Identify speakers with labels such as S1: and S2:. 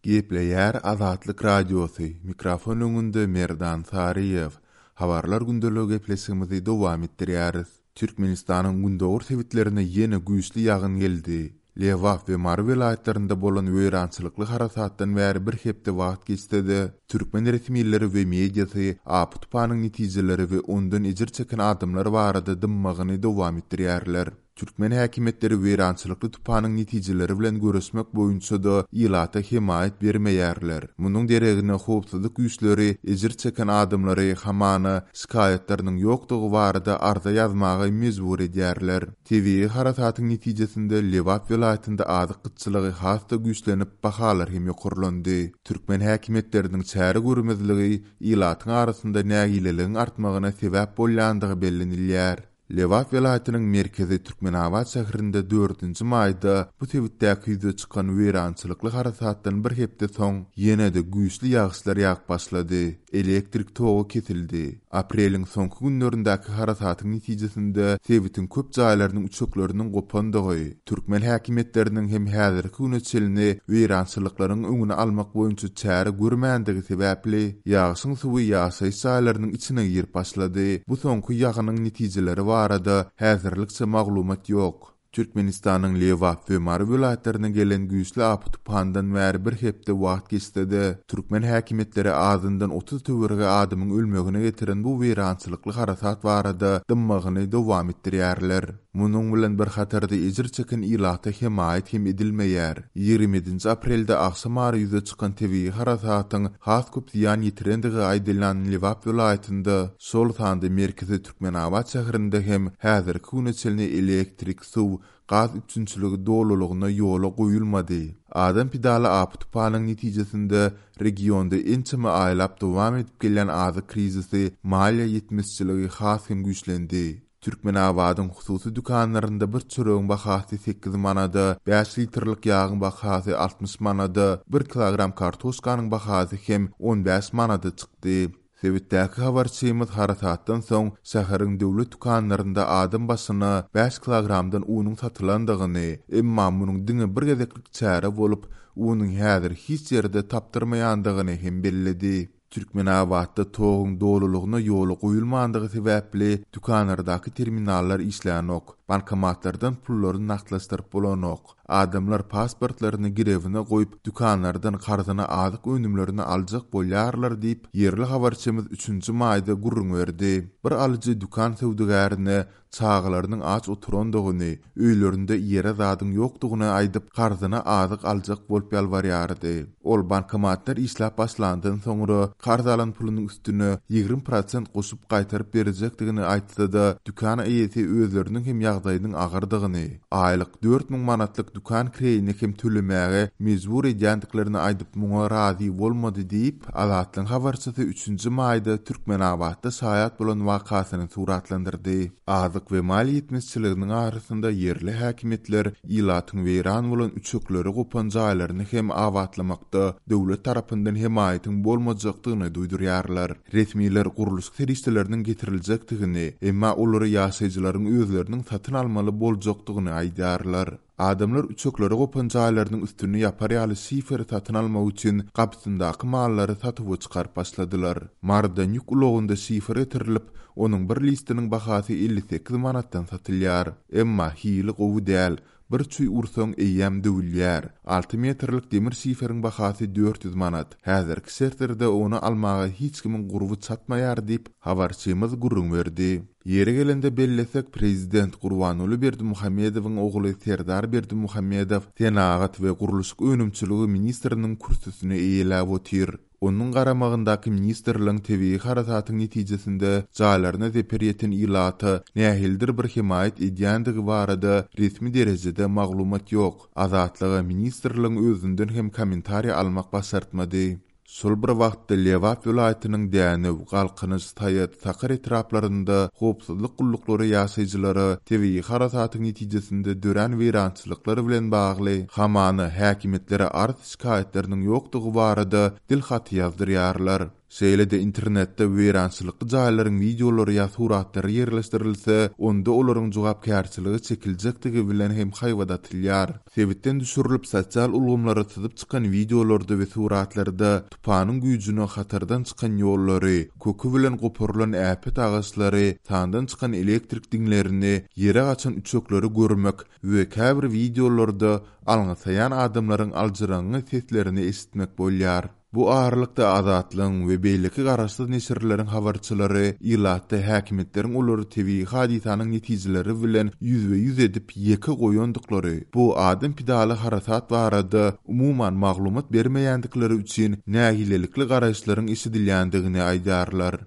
S1: Gepleýär Azatlyk Radiosy, mikrofon öňünde Merdan Saryýew. Habarlar gündeligi gepleşigimizi dowam etdirýäris. Türkmenistanyň gündogar sebitlerine ýene güýçli ýagyn geldi. Lebap we Mary welaýatlarynda bolan weýrançylykly harasatdan bäri bir hepde wagt geçse-de, türkmen resmileri we mediasy apy-tupanyň netijeleri we ondan ejir çeken adamlar barada dymmagyny dowam etdirýärler. Türkmen häkimiýetleri weýrançylykly tupanyň netijeleri bilen göreşmek boýunça-da ilata hemaýat bermeýärler. Munuň deregine howpsuzlyk güýçleri ejir çeken adamlary hamana şikaýatlarynyň ýokdugy barada arza ýazmaga mejbur edýärler. Tebigy harasatyň netijesinde Lebap welaýatynda azyk gytçylygy has-da güýçlenip, bahalar hem ýokarlandy. Türkmen häkimiýetleriniň çäre görmezligi ilatyň arasynda nägileligiň artmagyna sebäp bolýandygy bellenilýär. Lebap welaýatynyň merkezi Türkmenabat şäherinde dördünji maýda bu sebitdäki ýüze çykan weýrançylykly harasatdan bir hepde soň ýene-de güýçli ýagyşlar ýagyp başlady. Elektrik togy kesildi. Apreliň soňky günlerindäki harasatyň netijesinde sebitiň köp jaýlarynyň üçekleriniň gopandygy, türkmen häkimiýetleriniň hem häzirki güne çenli weýrançylyklaryň öňüni almak boýunça çäre görmändigi sebäpli, ýagşyň suwy ýaşaýyş jaýlarynyň içine girip başlady. Bu soňky ýagynyň netijeleri barada häzirlikçe maglumat ýok. Türkmenistanyň Lebap we Mary welaýatlaryna gelen güýçli apy-tupandan bäri bir hepde wagt geçse-de, türkmen häkimiýetleri azyndan 30 töweregi adamyň ölmegine getiren bu weýrançylykly harasat barada dymmagyny dowam etdirýärler. Munuň bilen bir hatarda ejir çeken ilata hemaýat hem edilmeýär. 27-nji aprelde agşamara ýüze çykan tebigy harasatyň has köp zyýan ýetirendigi aýdylýan Lebap welaýatynda, şol sanda merkezi Türkmenabat şäherinde hem häzirki güne çenli elektrik, suw, gaz üpjünçiligi dolulygyna ýola goýulmady. Adam pidaly apy-tupanyň netijesinde regionda ençeme aýlap dowam edip gelýän azyk krizisi, maliýe ýetmezçiligi has hem güýçlendi. Türkmenabadyň hususy dükanlarynda bir çöregiň bahasy sekiz manada, bäş litrlik ýagyň bahasy 60 manada, bir kilogram kartoşkanyň bahasy hem 15 manada çykdy. Sebitdäki habarçymyz harasatdan soň şäheriň döwlet dükanlarynda adam başyna bäş kilogramdan unuň satylandygyny, emma munuň diňe bir gezeklik çäre bolup, unuň häzir hiç ýerde tapdyrmaýandygyny hem belledi. Türkmenabatda toguň dolulygyna ýola goýulmandygy sebäpli dükanlardaky terminallar işlänok, bankomatlardan pullary nagtlaşdyryp bolanok. Adamlar pasportlaryny girewine goýup, dükanlardan karzyna azyk önümlerini aljak bolýarlar diýip, ýerli habarçymyz üçünji maýda gürrüň berdi. Bir alyjy dükan söwdagärine çagalarynyň aç oturandygyny, öýlerinde iýere zadyň ýokdugyny aýdyp, karzyna azyk aljak bolup ýalbarýardy. Ol bankomatlar işläp başlandan soňra karz alan pulunyň üstüne 20 prosent goşup gaýtaryp berjekdigini aýtsa-da, dükan eýesi özleriniň hem ýagdaýynyň agyrdygyny, aýlyk 4000 manatlyk dükan kireýini hem tölemäge mejbur edýändiklerini aýdyp muňa razy bolmady diýip, Azatlygyň habarçysy üçünji maýda Türkmenabatda şaýat bolan wakasyny suratlandyrdy. Azyk we maliýe ýetmezçiliginiň arasynda ýerli häkimiýetler ilatyň weýran bolan üçekleri gopan jaýlaryny hem abatlamakda döwlet tarapyndan hemaýatyň bolmajakdygyny duýdurýarlar. Resmiler gurluşyk serişdeleriniň getiriljekdigini, emma olary ýaşaýjylaryň özleriniň satyn almaly boljakdygyny aýdýarlar. Adamlar üçekleri gopan jaýlarynyň üstüni ýapar ýaly şiferi satyn almak üçin gapysyndaky mallary satuwa çykaryp başladylar. Marydan ýük ulagynda şifer getirilip, onuň bir listiniň bahasy 58 manatdan satylýar. Emma hili gowy däl, bir çüý ursaň eýýäm döwülýär. Alty metrlik demir şiferiň bahasy 400 manat. Häzirki şertlerde ony almaga hiç kimiň gurby çatmaýar diýip, habarçymyz gürrüň berdi. Ýeri gelende bellesek, prezident Gurbanguly Berdimuhamedowyň ogly Serdar Berdimuhamedow senagat we gurluşyk önümçiligi ministriniň kürsüsini eýeläp otyr. Onuň garamagyndaky ministrligiň tebigy harasatyň netijesinde jaýlaryna zeper ýeten ilata nähilidir bir hemaýat edýändigi barada resmi derejede maglumat ýok. Azatlyga ministrligiň özünden hem kommentariý almak başartmady. Şol bir wagtda Lebap welaýatynyň Dänew, Galkynyş, Saýat, Sakar etraplarynda howpsuzlyk gulluklary ýaşaýjylara tebigy harasatyň netijesinde dörän weýrançylyklar bilen bagly hamana häkimiýetlere arz-şikaýatlarynyň ýokdugy barada dil haty ýazdyrýarlar. Şeýle-de internetde weýrançylykly jaýlaryň wideolary ýa suratlary ýerleşdirilse, onda olaryň jogapkärçilige çekiljekdigi bilen hem haýbat atylýar. Sebitden düşürilip sosial ulgamlara syzyp çykan wideolarda we suratlarda tupanyň güýjüne hatardan çykan ýollary, köki bilen goparylan äpet agaçlary, sandan çykan elektrik diňlerini, ýere gaçan üçekleri görmek we käbir wideolarda alňasaýan adamlaryň aljyraňňy seslerini eşitmek bolýar. Bu aralykda Azatlygyň we beýleki garaşsyz neşirleriň habarçylary ilatda häkimiýetleriň olary tebigy hadysanyň netijeleri bilen ýüzbe-ýüz edip ýeke goýandyklary, bu adam pidaly harasat barada umuman maglumat bermeýändikleri üçin nägilelikli garaýyşlaryň eşidilýändigini aýdýarlar.